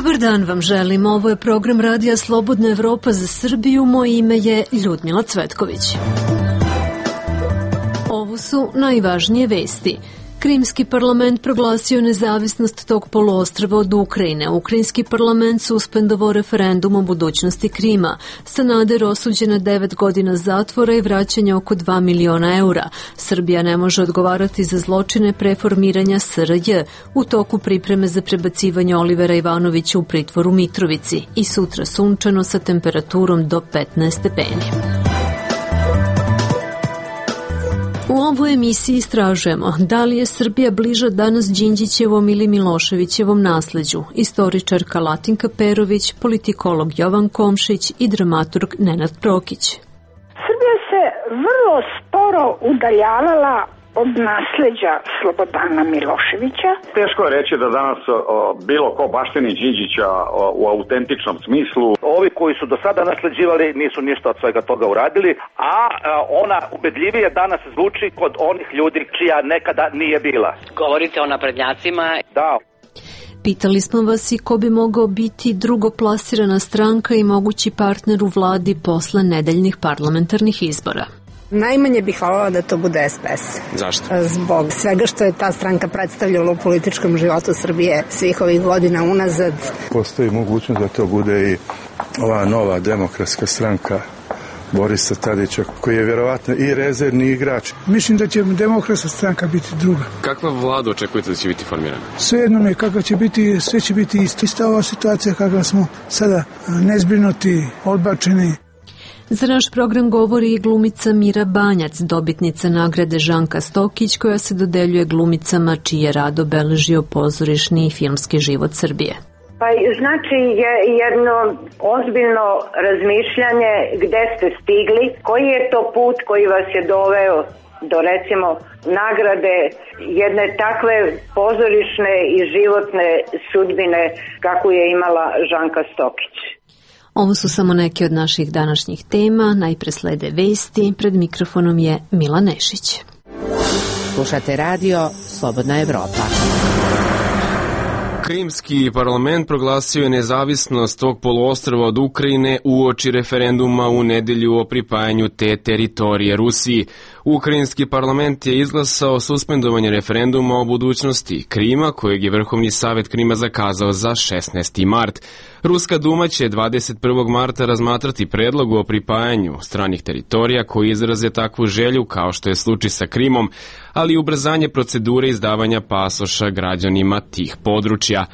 Dobar dan vam želim. Ovo je program Radija Slobodna Evropa za Srbiju. Moje ime je Ljudmila Cvetković. Ovo su najvažnije vesti. Krimski parlament proglasio nezavisnost tog poluostrva od Ukrajine. Ukrajinski parlament suspendovao referendum o budućnosti Krima. Sanader osuđen na 9 godina zatvora i vraćanje oko 2 miliona eura. Srbija ne može odgovarati za zločine preformiranja SRJ. U toku pripreme za prebacivanje Olivera Ivanovića u pritvor u Mitrovici. I sutra sunčano sa temperaturom do 15 stepeni. U ovoj emisiji istražujemo da li je Srbija bliža danas Đinđićevom ili Miloševićevom nasleđu. Istoričarka Latinka Perović, politikolog Jovan Komšić i dramaturg Nenad Prokić. Srbija se vrlo sporo udaljavala od nasleđa Slobodana Miloševića. Teško je reći da danas bilo ko baštini Đinđića u autentičnom smislu. Ovi koji su do sada nasleđivali nisu ništa od svega toga uradili, a ona ubedljivije danas zvuči kod onih ljudi čija nekada nije bila. Govorite o naprednjacima? Da. Pitali smo vas i ko bi mogao biti drugoplasirana stranka i mogući partner u vladi posle nedeljnih parlamentarnih izbora. Najmanje bih hvala da to bude SPS. Zašto? Zbog svega što je ta stranka predstavljala u političkom životu Srbije svih ovih godina unazad. Postoji mogućnost da to bude i ova nova demokratska stranka Borisa Tadića, koji je vjerovatno i rezervni igrač. Mislim da će demokratska stranka biti druga. Kakva vlada očekujete da će biti formirana? Svejedno mi je kakva će biti, sve će biti isto. Ista ova situacija kakva smo sada nezbrinuti, odbačeni. Za naš program govori i glumica Mira Banjac, dobitnica nagrade Žanka Stokić, koja se dodeljuje glumicama čiji je rad obeležio pozorišni i filmski život Srbije. Pa znači je jedno ozbiljno razmišljanje gde ste stigli, koji je to put koji vas je doveo do recimo nagrade jedne takve pozorišne i životne sudbine kakvu je imala Žanka Stokić. Ovo su samo neke od naših današnjih tema. Najpre slede vesti. Pred mikrofonom je Mila Nešić. Slušate radio Slobodna Evropa. Krimski parlament proglasio je nezavisnost tog poluostrva od Ukrajine uoči referenduma u nedelju o pripajanju te teritorije Rusiji. Ukrajinski parlament je izglasao suspendovanje referenduma o budućnosti Krima, kojeg je Vrhovni savet Krima zakazao za 16. mart. Ruska duma će 21. marta razmatrati predlog o pripajanju stranih teritorija koji izraze takvu želju, kao što je slučaj sa Krimom, ali i ubrzanje procedure izdavanja pasoša građanima tih područja.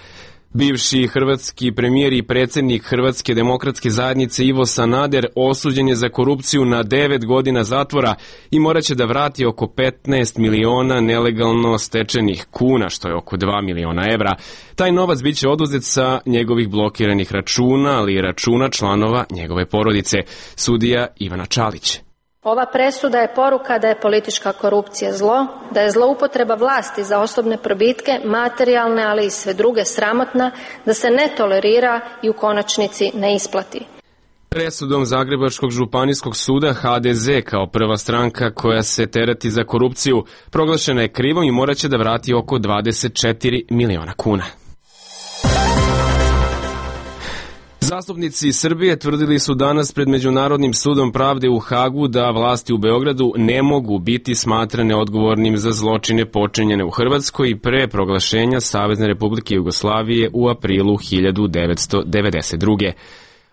Bivši hrvatski premijer i predsjednik Hrvatske demokratske zajednice Ivo Sanader osuđen je za korupciju na 9 godina zatvora i morat će da vrati oko 15 miliona nelegalno stečenih kuna, što je oko 2 miliona evra. Taj novac bit će oduzet sa njegovih blokiranih računa, ali i računa članova njegove porodice. Sudija Ivana Čalić. Ova presuda je poruka da je politička korupcija zlo, da je zloupotreba vlasti za osobne probitke, materijalne, ali i sve druge sramotna, da se ne tolerira i u konačnici ne isplati. Presudom Zagrebačkog županijskog suda HDZ kao prva stranka koja se tereti za korupciju proglašena je krivom i morat će da vrati oko 24 miliona kuna. Zastupnici Srbije tvrdili su danas pred Međunarodnim sudom pravde u Hagu da vlasti u Beogradu ne mogu biti smatrane odgovornim za zločine počinjene u Hrvatskoj pre proglašenja Savezne Republike Jugoslavije u aprilu 1992.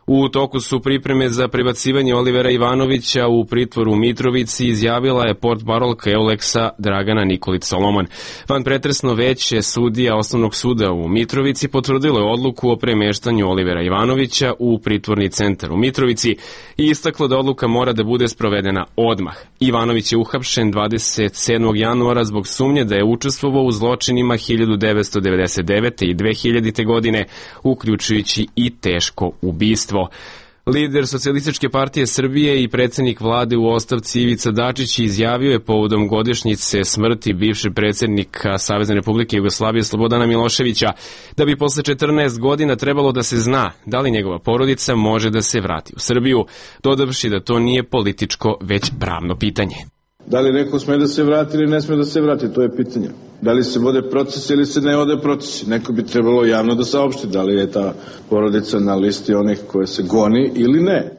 U toku su pripreme za prebacivanje Olivera Ivanovića u pritvoru u Mitrovici, izjavila je portparolka Euleksa Dragana Nikolić Solomon. Vanpretresno veće sudija Osnovnog suda u Mitrovici potvrdilo je odluku o premeštanju Olivera Ivanovića u pritvorni centar u Mitrovici i istaklo da odluka mora da bude sprovedena odmah. Ivanović je uhapšen 27. januara zbog sumnje da je učestvovao u zločinima 1999. i 2000. godine, uključujući i teško ubistvo. Lider Socijalističke partije Srbije i predsjednik vlade u ostavci Ivica Dačić izjavio je povodom godišnjice smrti bivšeg predsjednika Savezne Republike Jugoslavije Slobodana Miloševića da bi posle 14 godina trebalo da se zna da li njegova porodica može da se vrati u Srbiju, dodavši da to nije političko već pravno pitanje. Da li neko sme da se vrati ili ne sme da se vrati, to je pitanje. Da li se vode proces ili se ne vode procesi. Neko bi trebalo javno da saopšti da li je ta porodica na listi onih koje se goni ili ne.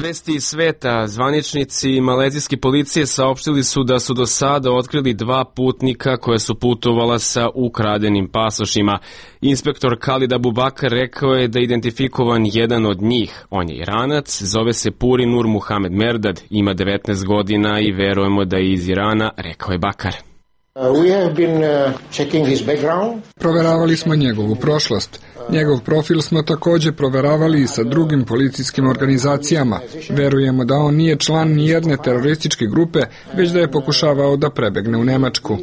Vesti iz sveta. Zvaničnici malezijske policije saopštili su da su do sada otkrili 2 putnika koja su putovala sa ukradenim pasošima. Inspektor Khalid Abubakar rekao je da je identifikovan jedan od njih. On je Iranac, zove se Puri Nur Muhamed Merdad, ima 19 godina i verujemo da je iz Irana, rekao je Bakar. Proveravali smo njegovu prošlost. Njegov profil smo također proveravali i sa drugim policijskim organizacijama. Verujemo da on nije član nijedne terorističke grupe, već da je pokušavao da prebegne u Nemačku.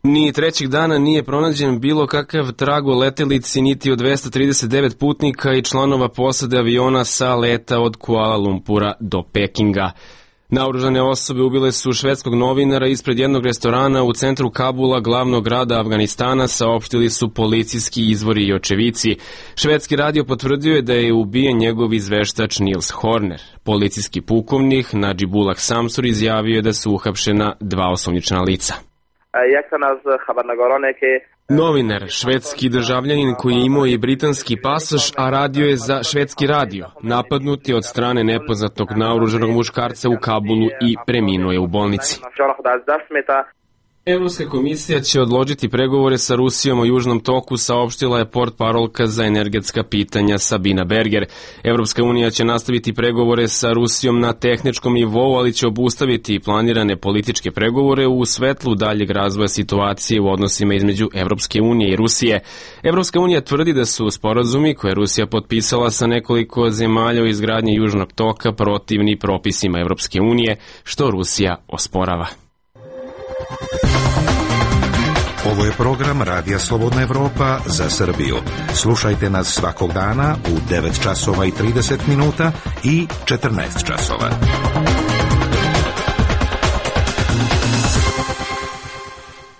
Ni trećeg dana nije pronađen bilo kakav trag o letelici niti od 239 putnika i članova posade aviona sa leta od Kuala Lumpura do Pekinga. Naoružane osobe ubile su švedskog novinara ispred jednog restorana u centru Kabula, glavnog grada Afganistana, saopštili su policijski izvori i očevici. Švedski radio potvrdio je da je ubijen njegov izveštač Nils Horner. Policijski pukovnik Najibullah Samsur izjavio je da su uhapšena 2 osumnjičena lica. Novinar, švedski državljanin koji je imao i britanski pasoš, a radio je za švedski radio, napadnut je od strane nepoznatog naoružanog muškarca u Kabulu i preminuo je u bolnici. Evropska komisija će odložiti pregovore sa Rusijom o Južnom toku, saopštila je portparolka za energetska pitanja Sabina Berger. Evropska unija će nastaviti pregovore sa Rusijom na tehničkom nivou, ali će obustaviti planirane političke pregovore u svetlu daljeg razvoja situacije u odnosima između Evropske unije i Rusije. Evropska unija tvrdi da su sporazumi koje je Rusija potpisala sa nekoliko zemalja o izgradnji Južnog toka protivni propisima Evropske unije, što Rusija osporava. Ovo je program Radija Slobodna Evropa za Srbiju. Slušajte nas svakog dana u 9 časova i 30 minuta i 14 časova.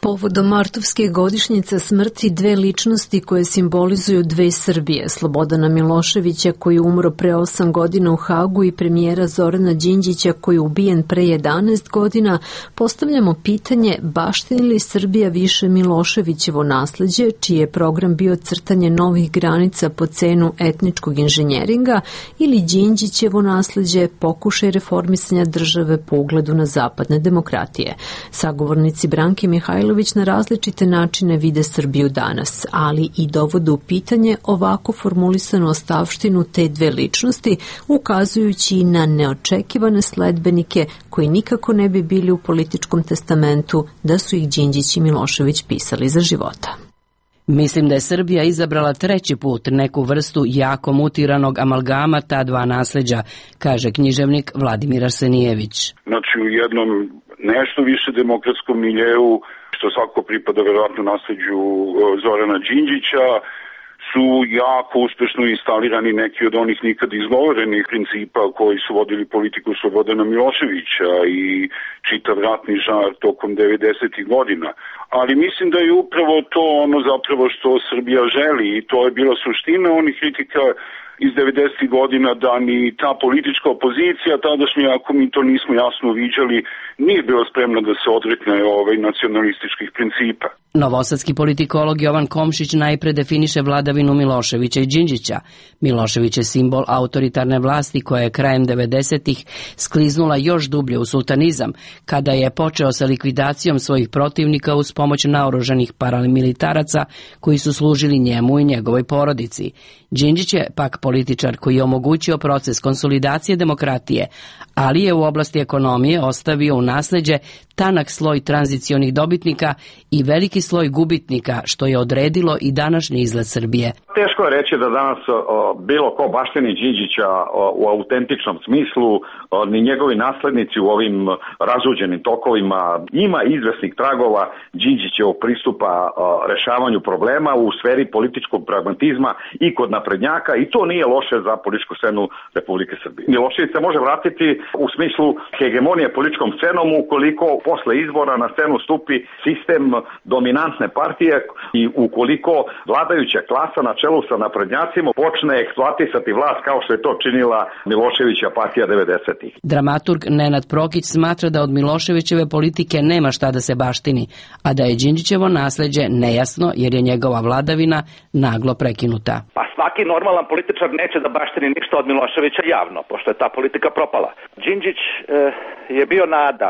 Povodom martovske godišnjice smrti 2 ličnosti koje simbolizuju 2 Srbije, Slobodana Miloševića koji je umro pre 8 godina u Hagu i premijera Zorana Đinđića koji je ubijen pre 11 godina, postavljamo pitanje baštini li Srbija više Miloševićevo nasleđe, čiji je program bio crtanje novih granica po cenu etničkog inženjeringa, ili Đinđićevo nasleđe, pokušaj reformisanja države po ugledu na zapadne demokratije. Sagovornici Branke Mihajlović na različite načine vide Srbiju danas, ali i dovode u pitanje ovako formulisanu ostavštinu te 2 ličnosti, ukazujući na neočekivane sledbenike koji nikako ne bi bili u političkom testamentu da su ih Đinđić i Milošević pisali za života. Mislim da je Srbija izabrala 3. put neku vrstu jako mutiranog amalgama ta 2 nasleđa, kaže književnik Vladimir Arsenijević. Znači u jednom nešto više demokratskom miljeu, što svako pripada verovatno nasleđu Zorana Đinđića, su jako uspešno instalirani neki od onih nikad izgovorenih principa koji su vodili politiku Slobodana Miloševića i čitav ratni žar tokom 90. godina. Ali mislim da je upravo to ono zapravo što Srbija želi i to je bila suština onih kritika iz 90. godina, da ni ta politička opozicija tadašnja, ako mi to nismo jasno uviđali, nije bila spremna da se odrekne nacionalističkih principa. Novosadski politikolog Jovan Komšić najpre definiše vladavinu Miloševića i Đinđića. Milošević je simbol autoritarne vlasti koja je krajem 90-ih skliznula još dublje u sultanizam, kada je počeo sa likvidacijom svojih protivnika uz pomoć naoružanih paramilitaraca koji su služili njemu i njegovoj porodici. Đinđić je pak političar koji je omogućio proces konsolidacije demokratije, ali je u oblasti ekonomije ostavio u nasleđe tanak sloj tranzicionih dobitnika i veliki sloj gubitnika, što je odredilo i današnji izgled Srbije. Teško je reći da danas bilo ko baštini Đinđića u autentičnom smislu, ni njegovi naslednici u ovim razuđenim tokovima. Ima izvesnih tragova Đinđićevog pristupa rešavanju problema u sferi političkog pragmatizma i kod naprednjaka, i to nije loše za političku scenu Republike Srbije. Milošević se može vratiti u smislu hegemonije političkom scenom ukoliko posle izbora na scenu stupi sistem dominantne partije i ukoliko vladajuća klasa na čelu sa naprednjacima počne eksploatisati vlast kao što je to činila Miloševića partija 90-ih. Dramaturg Nenad Prokić smatra da od Miloševićeve politike nema šta da se baštini, a da je Đinđićevo nasleđe nejasno jer je njegova vladavina naglo prekinuta. Pa svaki normalan političar neće da baštini ništa od Miloševića javno, pošto je ta politika propala. Đinđić je bio nada,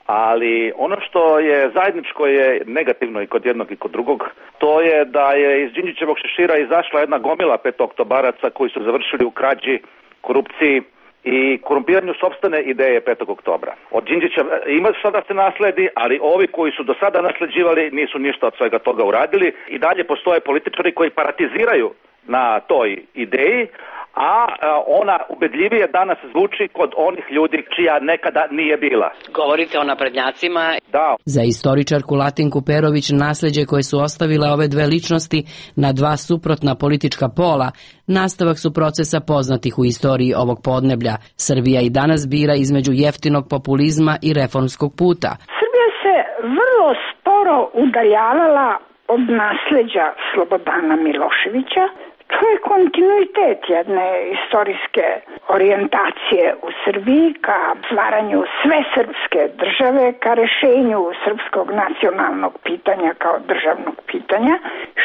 ali ono što je zajedničko je negativno i kod jednog i kod drugog, to je da je iz Đinđićevog šešira izašla jedna gomila petooktobaraca koji su završili u krađi, korupciji i korumpiranju sopstvene ideje 5. oktobra. Od Đinđića ima šta da se nasledi, ali ovi koji su do sada nasleđivali nisu ništa od svega toga uradili i dalje postoje političari koji paratiziraju na toj ideji, a ona ubedljivije danas zvuči kod onih ljudi čija nekada nije bila. Govorite o naprednjacima. Da. Za istoričarku Latinku Perović nasleđe koje su ostavile ove dve ličnosti na dva suprotna politička pola nastavak su procesa poznatih u istoriji ovog podneblja. Srbija i danas bira između jeftinog populizma i reformskog puta. Srbija se vrlo sporo udaljavala od nasleđa Slobodana Miloševića. To je kontinuitet jedne istorijske orijentacije u Srbiji ka stvaranju sve srpske države, ka rešenju srpskog nacionalnog pitanja kao državnog pitanja.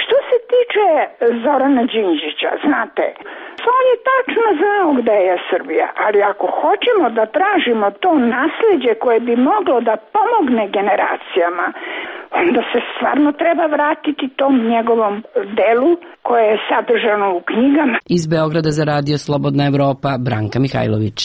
Što se tiče Zorana Đinđića, znate, on je tačno znao gde je Srbija, ali ako hoćemo da tražimo to nasleđe koje bi moglo da pomogne generacijama, onda se stvarno treba vratiti tom njegovom delu koje je sadržano u knjigama. Iz Beograda za radio Slobodna Evropa, Branka Mihajlović.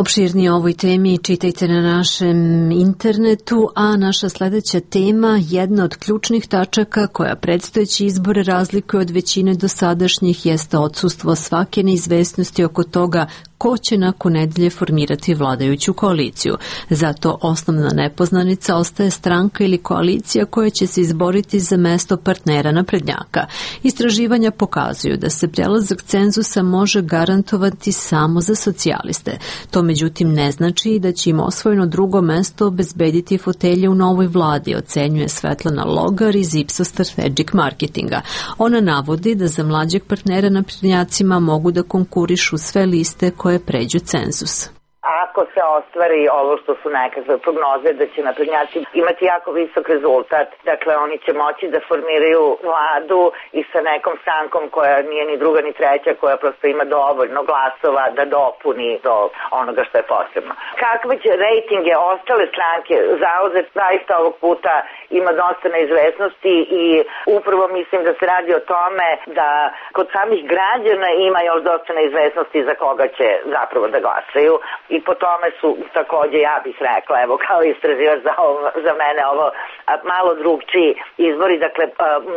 Opširnije o ovoj temi čitajte na našem internetu, a naša sledeća tema, jedna od ključnih tačaka koja predstojeći izbore razlikuje od većine dosadašnjih, jeste odsustvo svake neizvesnosti oko toga ko će nakon nedelje formirati vladajuću koaliciju. Zato osnovna nepoznanica ostaje stranka ili koalicija koja će se izboriti za mesto partnera naprednjaka. Istraživanja pokazuju da se prelazak cenzusa može garantovati samo za socijaliste. To međutim ne znači da će im osvojeno drugo mesto obezbediti fotelje u novoj vladi, ocenjuje Svetlana Logar iz Ipsos Strategic Marketinga. Ona navodi da za mlađeg partnera naprednjacima mogu da konkurišu sve liste koje pređu cenzus. Ako se ostvari ovo što su nekakve prognoze da će naprednjaci imati jako visok rezultat, dakle oni će moći da formiraju vladu i sa nekom strankom koja nije ni druga ni treća, koja prosto ima dovoljno glasova da dopuni do onoga što je potrebno. Kakve će rejtinge ostale stranke zauzeti, zaista ovog puta ima dosta neizvesnosti i upravo mislim da se radi o tome da kod samih građana ima još dosta neizvesnosti za koga će zapravo da glasaju i po tome su takođe, ja bih rekla, evo kao istraživač za mene ovo malo drugčiji izbori, dakle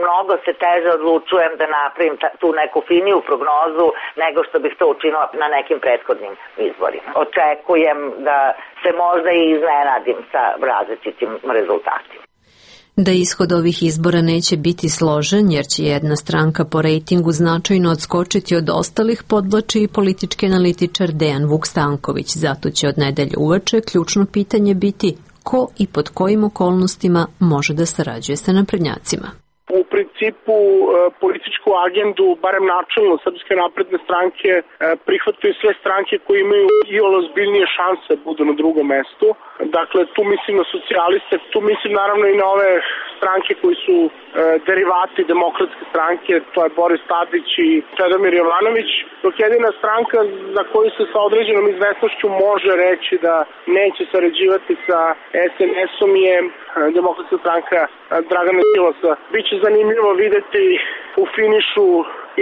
mnogo se teže odlučujem da napravim tu neku finiju prognozu nego što bih to učinila na nekim prethodnim izborima. Očekujem da se možda i iznenadim sa različitim rezultatima. Da ishod ovih izbora neće biti složen, jer će jedna stranka po rejtingu značajno odskočiti od ostalih, podvlači i politički analitičar Dejan Vuk Stanković. Zato će od nedelje uveče ključno pitanje biti ko i pod kojim okolnostima može da sarađuje sa naprednjacima. U principu političku agendu, barem načelno Srpske napredne stranke, prihvataju sve stranke koje imaju i ozbiljnije šanse da budu na drugom mestu. Dakle, tu mislim na socijaliste, tu mislim naravno i na ove stranke koji su derivati demokratske stranke, to je Boris Tadić i Čedomir Jovanović, dok jedina stranka za koju se sa određenom izvesnošću može reći da neće sarađivati sa SNS-om je demokratska stranka Dragana Đilasa. Biće zanimljivo videti u finišu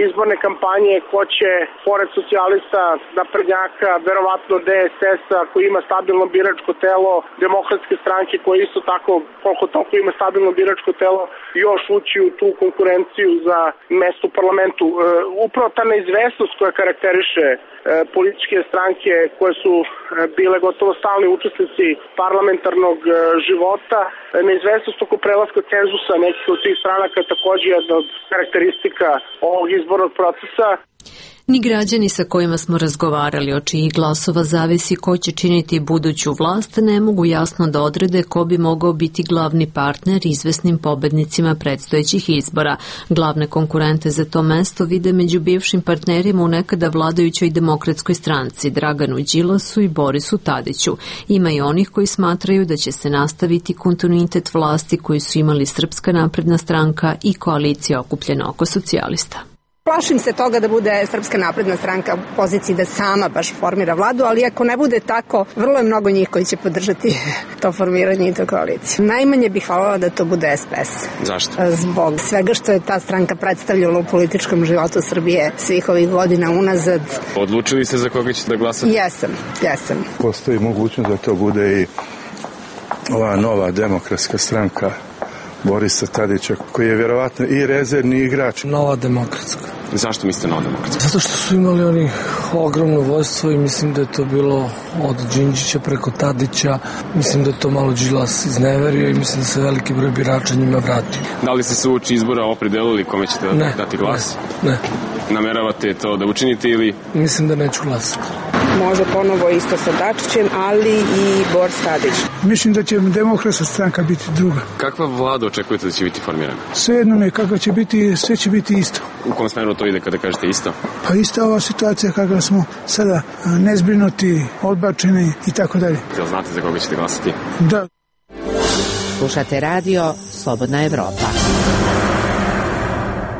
izborne kampanje ko će, pored socijalista, naprednjaka, verovatno DSS-a koji ima stabilno biračko telo, demokratske stranke koje isto tako, koliko toliko ima stabilno biračko telo, još ući u tu konkurenciju za mesto u parlamentu. Upravo ta neizvesnost koja karakteriše političke stranke koje su bile gotovo stalni učesnici parlamentarnog života, neizvesnost oko prelaska cenzusa nekih od tih stranaka takođe jedna od karakteristika ovog izbornog procesa. Ni građani sa kojima smo razgovarali o čijih glasova zavisi ko će činiti buduću vlast ne mogu jasno da odrede ko bi mogao biti glavni partner izvesnim pobednicima predstojećih izbora. Glavne konkurente za to mesto vide među bivšim partnerima u nekada vladajućoj Demokratskoj stranci, Draganu Đilasu i Borisu Tadiću. Ima i onih koji smatraju da će se nastaviti kontinuitet vlasti koju su imali Srpska napredna stranka i koalicija okupljena oko socijalista. Plašim se toga da bude Srpska napredna stranka u poziciji da sama baš formira vladu, ali ako ne bude tako, vrlo je mnogo njih koji će podržati to formiranje i to koaliciju. Najmanje bih hvala da to bude SPS. Zašto? Zbog svega što je ta stranka predstavljala u političkom životu Srbije svih ovih godina unazad. Odlučili se za koga ćete da glasate? Jesam. Postoji mogućnost da to bude i ova nova demokratska stranka Borisa Tadića, koji je vjerovatno i rezervni igrač. Nova demokratska. Zašto mislite Nova demokratska? Zato što su imali oni ogromno vojstvo i mislim da je to bilo od Đinđića preko Tadića. Mislim da je to malo Đilas izneverio i mislim da se veliki broj birača njima vratio. Da li ste se uoči izbora opredelili kome ćete dati glas? Ne. Nameravate to da učinite ili? Mislim da neću glasati. Može ponovo isto sa Dačićem, ali i Boris Tadić. Mislim da će demokratska stranka biti druga. Kakva vlada očekujete da će biti formirana? Svejedno mi kakva će biti, sve će biti isto. U kom smeru to ide kada kažete isto? Pa ista ova situacija kakva smo sada nezbrinuti, odbačeni i tako dalje. Jel znate za koga ćete glasati? Da. Slušate radio Slobodna Evropa.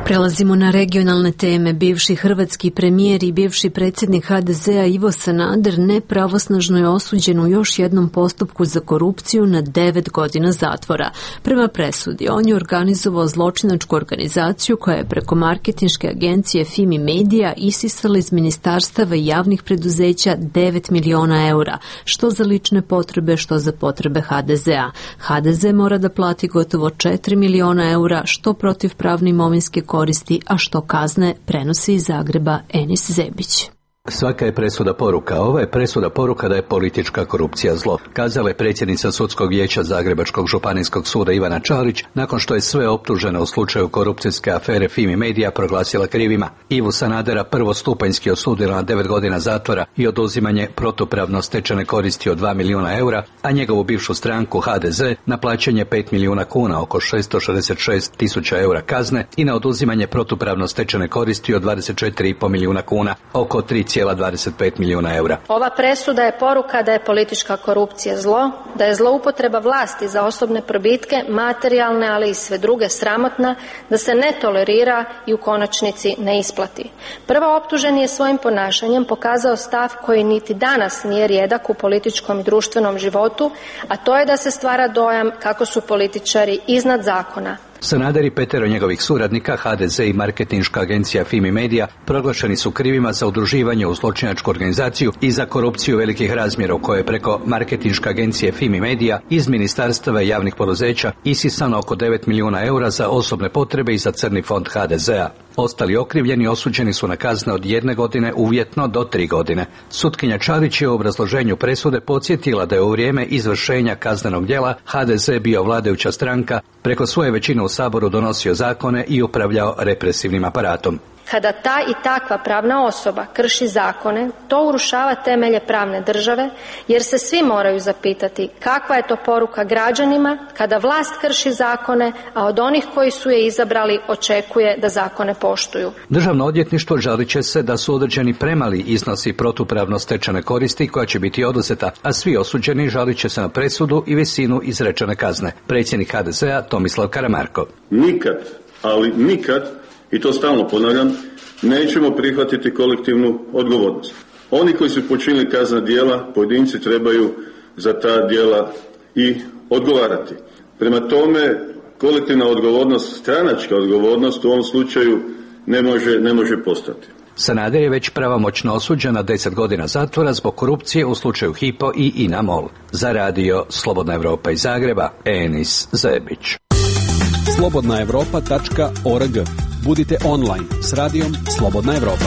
Prelazimo na regionalne teme. Bivši hrvatski premijer i bivši predsjednik HDZ-a Ivo Sanader nepravosnažno je osuđen u još jednom postupku za korupciju na 9 godina zatvora. Prema presudi, on je organizovao zločinačku organizaciju koja je preko marketinške agencije Fimi Media isisala iz ministarstava i javnih preduzeća 9 miliona eura, što za lične potrebe, što za potrebe HDZ-a. HDZ mora da plati gotovo 4 miliona eura, što protiv pravne imovinske koristi, a što kazne, prenosi iz Zagreba Enis Zebić. Svaka je presuda poruka. Ova je presuda poruka da je politička korupcija zlo, kazala je predsjednica Sudskog vijeća Zagrebačkog županijskog suda Ivana Čalić nakon što je sve optužene u slučaju korupcijske afere Fimi Media proglasila krivima. Ivu Sanadera prvostupanjski osudila na 9 godina zatvora i oduzimanje protupravno stečene koristi od 2 miliona eura, a njegovu bivšu stranku HDZ na plaćanje 5 milijuna kuna, oko 666 tisuća eura kazne, i na oduzimanje protupravno stečene koristi od 24,5 milijuna kuna, oko 3,25 milijuna eura. Ova presuda je poruka da je politička korupcija zlo, da je zloupotreba vlasti za osobne probitke, materijalne, ali i sve druge sramotna, da se ne tolerira i u konačnici ne isplati. Prvo optuženi je svojim ponašanjem pokazao stav koji niti danas nije rijedak u političkom i društvenom životu, a to je da se stvara dojam kako su političari iznad zakona. Sanader i 5 njegovih suradnika, HDZ i marketinška agencija Fimi Media, proglašeni su krivima za udruživanje u zločinačku organizaciju i za korupciju velikih razmjera u kojoj je preko marketinške agencije Fimi Media iz ministarstava i javnih poduzeća isisano oko 9 milijuna eura za osobne potrebe i za crni fond HDZ-a. Ostali okrivljeni osuđeni su na kazne od 1 godine uvjetno do 3 godine. Sutkinja Čarić je u obrazloženju presude podsjetila da je u vrijeme izvršenja kaznenog djela HDZ bio vladajuća stranka, preko svoje većine u Saboru donosio zakone i upravljao represivnim aparatom. Kada ta i takva pravna osoba krši zakone, to urušava temelje pravne države, jer se svi moraju zapitati kakva je to poruka građanima kada vlast krši zakone, a od onih koji su je izabrali očekuje da zakone poštuju. Državno odvjetništvo žalit će se da su određeni premali iznosi protupravno stečene koristi koja će biti oduzeta, a svi osuđeni žalit će se na presudu i visinu izrečene kazne. Predsjednik HDZ-a Tomislav Karamarko. Nikad, ali nikad, i to stalno ponavljam, nećemo prihvatiti kolektivnu odgovornost. Oni koji su počinili kaznena djela, pojedinci trebaju za ta djela i odgovarati. Prema tome, kolektivna odgovornost, stranačka odgovornost u ovom slučaju ne može postati. Sanader je već pravomoćno osuđen na 10 godina zatvora zbog korupcije u slučaju Hypo i INA MOL. Za radio Slobodna Evropa iz Zagreba, Enis Zebić. slobodnaevropa.org. Budite online s radijom Slobodna Evropa.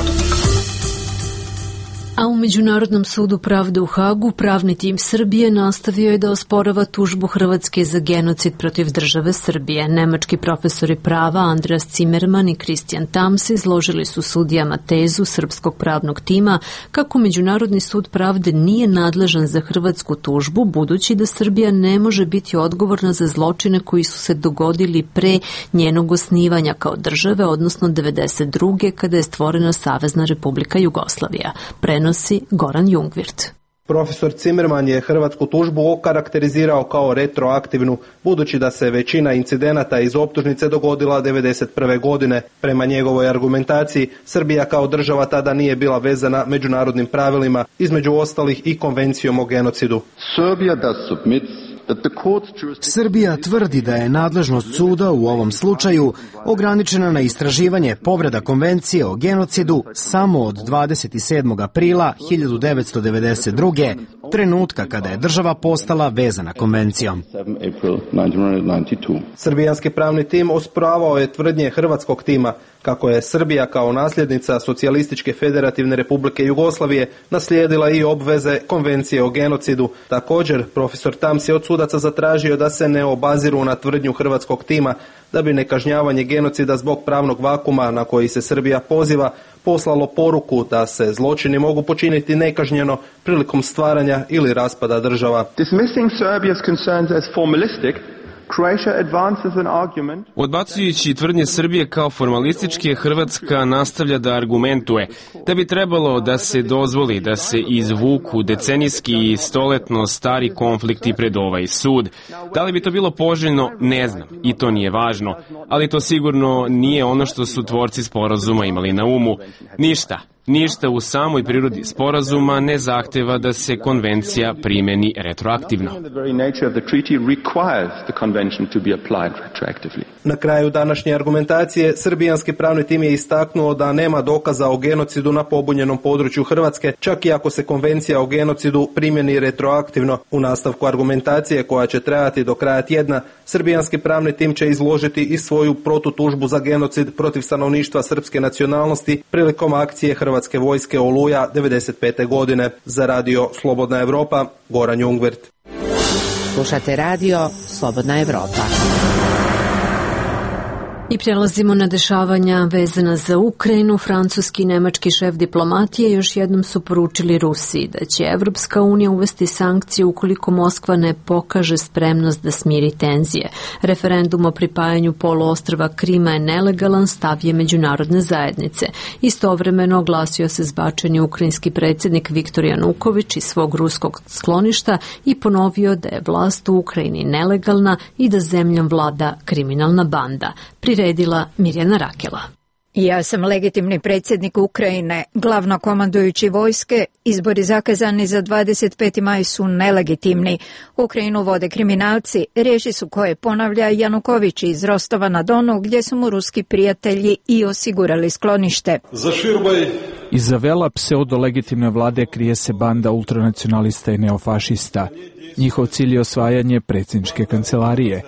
A u Međunarodnom sudu pravde u Hagu pravni tim Srbije nastavio je da osporava tužbu Hrvatske za genocid protiv države Srbije. Nemački profesori prava Andreas Zimmerman i Christian Tams izložili su sudijama tezu srpskog pravnog tima kako Međunarodni sud pravde nije nadležan za hrvatsku tužbu, budući da Srbija ne može biti odgovorna za zločine koji su se dogodili pre njenog osnivanja kao države, odnosno 1992. kada je stvorena Savezna Republika Jugoslavija. Prenosi Goran Jungwirth. Profesor Zimmerman je hrvatsku tužbu okarakterizirao kao retroaktivnu, budući da se većina incidenata iz optužnice dogodila 1991. godine. Prema njegovoj argumentaciji, Srbija kao država tada nije bila vezana međunarodnim pravilima, između ostalih i konvencijom o genocidu. Srbija tvrdi da je nadležnost suda u ovom slučaju ograničena na istraživanje povreda konvencije o genocidu samo od 27. aprila 1992. trenutka kada je država postala vezana konvencijom. Srbijanski pravni tim osporavao je tvrdnje hrvatskog tima kako je Srbija kao nasljednica Socijalističke federativne republike Jugoslavije naslijedila i obveze konvencije o genocidu. Također, profesor Tams je od sudaca zatražio da se ne obaziru na tvrdnju hrvatskog tima da bi nekažnjavanje genocida zbog pravnog vakuma na koji se Srbija poziva poslalo poruku da se zločini mogu počiniti nekažnjeno prilikom stvaranja ili raspada država. Dismissing Serbia's concerns as formalistic, Croatia advances an argument. Odbacujući tvrdnje Srbije kao formalističke, Hrvatska nastavlja da argumentuje da bi trebalo da se dozvoli da se izvuku decenijski i stoletno stari konflikti pred ovaj sud. Da li bi to bilo poželjno, ne znam, i to nije važno, ali to sigurno nije ono što su tvorci sporazuma imali na umu. Ništa u samoj prirodi sporazuma ne zahteva da se konvencija primeni retroaktivno. Na kraju današnje argumentacije, srbijanski pravni tim je istaknuo da nema dokaza o genocidu na pobunjenom području Hrvatske, čak i ako se konvencija o genocidu primjeni retroaktivno. U nastavku argumentacije, koja će trajati do kraja tjedna, srbijanski pravni tim će izložiti i svoju protutužbu za genocid protiv stanovništva srpske nacionalnosti prilikom akcije Hrvatske vojske Oluja 1995. godine. Za radio Slobodna Evropa, Goran Jungwirth. Slušate radio Slobodna Evropa. I prelazimo na dešavanja vezana za Ukrajinu. Francuski i nemački šef diplomatije još jednom su poručili Rusiji da će Evropska unija uvesti sankcije ukoliko Moskva ne pokaže spremnost da smiri tenzije. Referendum o pripajanju poluostrva Krima je nelegalan, stav je međunarodne zajednice. Istovremeno oglasio se zbačeni ukrajinski predsjednik Viktor Januković iz svog ruskog skloništa i ponovio da je vlast u Ukrajini nelegalna i da zemljom vlada kriminalna banda. Priredila Mirjana Rakela. Ja sam legitimni predsjednik Ukrajine, glavnokomandujući vojske, izbori zakazani za 25. maj su nelegitimni. Ukrajinu vode kriminalci, riječi su koje ponavlja Januković iz Rostova na Donu, gdje su mu ruski prijatelji i osigurali sklonište. Iza vela pseudo-legitimne vlade krije se banda ultranacionalista i neofašista. Njihov cilj je osvajanje predsjedničke kancelarije.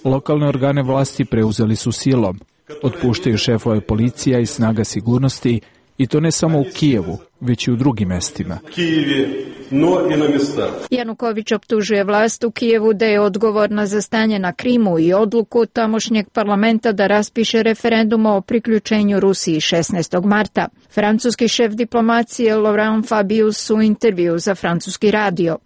Lokalne organe vlasti preuzeli su silom, otpuštaju šefove policija i snaga sigurnosti, i to ne samo u Kijevu, već i u drugim mestima. Januković optužuje vlast u Kijevu da je odgovorna za stanje na Krimu i odluku tamošnjeg parlamenta da raspiše referendum o priključenju Rusiji 16. marta. Francuski šef diplomacije Laurent Fabius u intervju za francuski radio.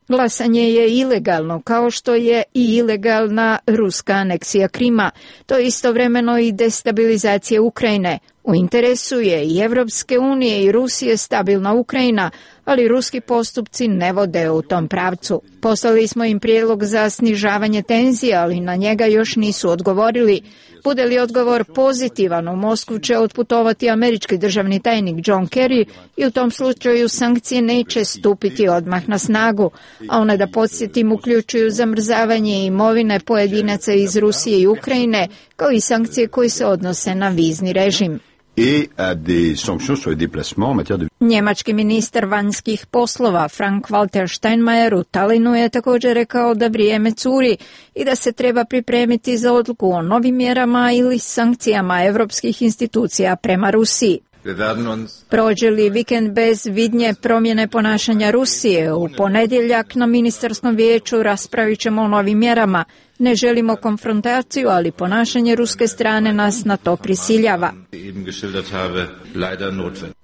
Glasanje je ilegalno, kao što je i ilegalna ruska aneksija Krima. To je istovremeno i destabilizacija Ukrajine. U interesu je i Evropske unije i Rusije stabilna Ukrajina, ali ruski postupci ne vode u tom pravcu. Poslali smo im prijedlog za snižavanje tenzija, ali na njega još nisu odgovorili. Bude li odgovor pozitivan, u Moskvu će otputovati američki državni tajnik John Kerry i u tom slučaju sankcije neće stupiti odmah na snagu, a one, da podsjetim, uključuju zamrzavanje imovine pojedinaca iz Rusije i Ukrajine, kao i sankcije koje se odnose na vizni režim. Njemački ministar vanjskih poslova Frank-Walter Steinmeier u Talinu je također rekao da vrijeme curi i da se treba pripremiti za odluku o novim mjerama ili sankcijama evropskih institucija prema Rusiji. Prođe li vikend bez vidnje promjene ponašanja Rusije, u ponedjeljak na ministarskom vijeću raspravit ćemo o novim mjerama. Ne želimo konfrontaciju, ali ponašanje ruske strane nas na to prisiljava.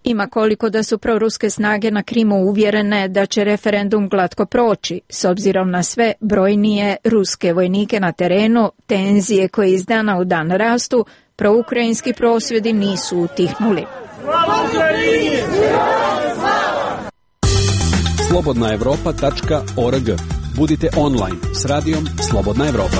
Ima koliko da su proruske snage na Krimu uvjerene da će referendum glatko proći. S obzirom na sve brojnije ruske vojnike na terenu, tenzije koje iz dana u dan rastu, proukrajinski prosvjedi nisu utihnuli. slobodnaevropa.org. Budite online s radijom Slobodna Evropa.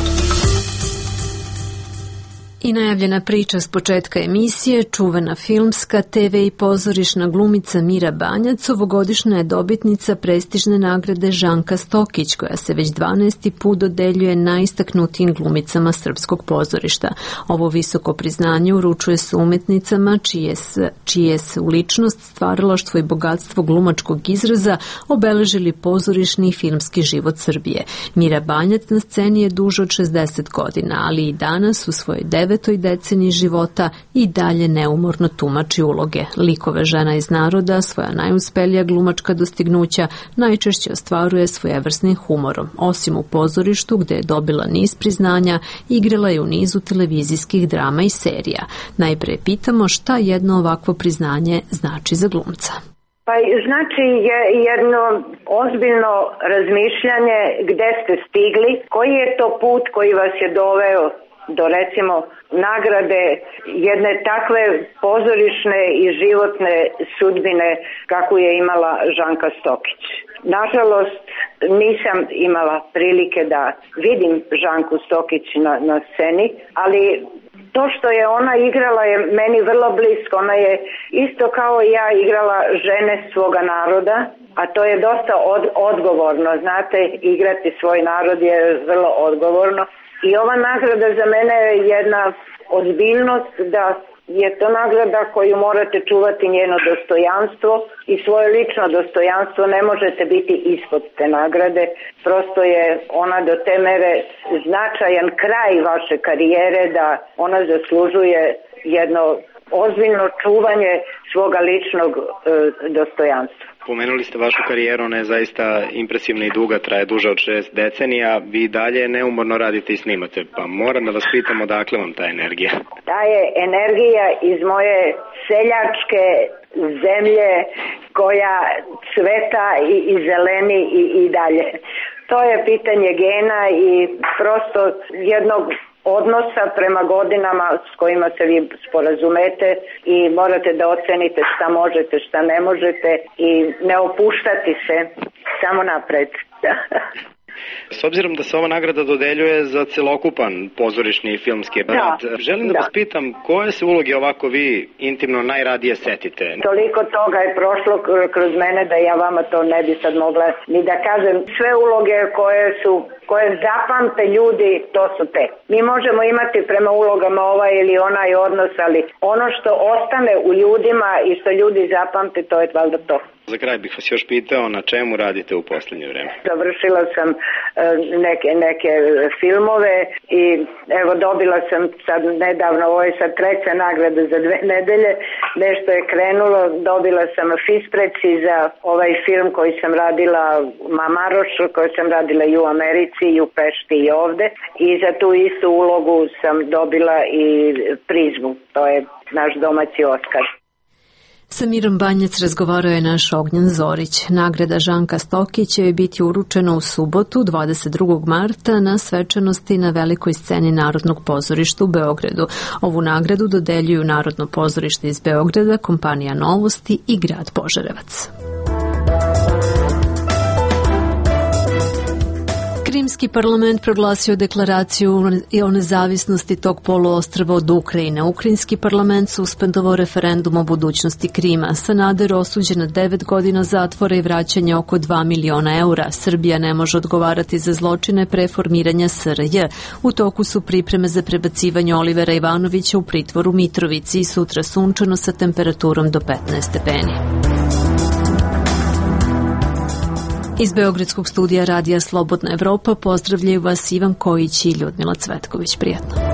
I najavljena priča s početka emisije, čuvena filmska, TV i pozorišna glumica Mira Banjac ovogodišnja je dobitnica prestižne nagrade Žanka Stokić, koja se već 12. put dodeljuje najistaknutijim glumicama srpskog pozorišta. Ovo visoko priznanje uručuje se umjetnicama čije se u ličnost, stvaralaštvo i bogatstvo glumačkog izraza obeležili pozorišni i filmski život Srbije. Mira Banjac na sceni je duže od 60 godina, ali i danas u svojoj 9. deceniji života i dalje neumorno tumači uloge. Likove žena iz naroda, svoja najuspelija glumačka dostignuća, najčešće ostvaruje svojevrsnim humorom. Osim u pozorištu, gde je dobila niz priznanja, igrala je u nizu televizijskih drama i serija. Najpre pitamo šta jedno ovakvo priznanje znači za glumca. Pa znači jedno ozbiljno razmišljanje gde ste stigli, koji je to put koji vas je doveo do recimo nagrade jedne takve pozorišne i životne sudbine kakvu je imala Žanka Stokić. Nažalost, nisam imala prilike da vidim Žanku Stokić na sceni, ali to što je ona igrala je meni vrlo blisko. Ona je isto kao i ja igrala žene svoga naroda, a to je dosta odgovorno. Znate, igrati svoj narod je vrlo odgovorno. I ova nagrada za mene je jedna ozbiljnost, da je to nagrada koju morate čuvati njeno dostojanstvo i svoje lično dostojanstvo. Ne možete biti ispod te nagrade. Prosto je ona do te mere značajan kraj vaše karijere da ona zaslužuje jedno ozbiljno čuvanje svoga ličnog dostojanstva. Pomenuli ste vašu karijeru, ona je zaista impresivna i duga, traje duže od 6 decenija. Vi dalje neumorno radite i snimate, pa moram da vas pitam odakle vam ta energija? Ta je energija iz moje seljačke zemlje koja cveta i zeleni i dalje. To je pitanje gena i prosto jednog odnosa prema godinama s kojima se vi sporazumete i morate da ocenite šta možete, šta ne možete i ne opuštati se, samo napred. S obzirom da se ova nagrada dodeljuje za celokupan pozorišni i filmski rad, želim da vas pitam koje se uloge ovako vi intimno najradije setite? Toliko toga je prošlo kroz mene da ja vama to ne bi sad mogla ni da kažem. Sve uloge koje zapamte ljudi, to su te. Mi možemo imati prema ulogama ovaj ili onaj odnos, ali ono što ostane u ljudima i što ljudi zapamte, to je valjda to. Za kraj bih vas još pitao na čemu radite u posljednje vreme. Završila sam neke filmove i evo dobila sam sad nedavno, ovo je sad 3. nagrada za 2 nedelje, nešto je krenulo, dobila sam Fispreci za ovaj film koji sam radila Mamaroš, koji sam radila i u Americi i u Pešti i ovde i za tu istu ulogu sam dobila i Prizmu, to je naš domaći Oskar. Sa Mirom Banjac razgovarao je naš Ognjen Zorić. Nagrada Žanka Stokić će biti uručena u subotu 22. marta na svečanosti na velikoj sceni Narodnog pozorišta u Beogradu. Ovu nagradu dodeljuju Narodno pozorište iz Beograda, kompanija Novosti i grad Požarevac. Krimski parlament proglasio deklaraciju o nezavisnosti tog poluostrva od Ukrajine. Ukrajinski parlament suspendovao referendum o budućnosti Krima. Sanader osuđen na 9 godina zatvora i vraćanje oko 2 miliona eura. Srbija ne može odgovarati za zločine preformiranja SRJ. U toku su pripreme za prebacivanje Olivera Ivanovića u pritvor u Mitrovici i sutra sunčano sa temperaturom do 15 stepeni. Iz Beogradskog studija radija Slobodna Evropa pozdravljaju vas Ivan Kojić i Ljudmila Cvetković. Prijatno.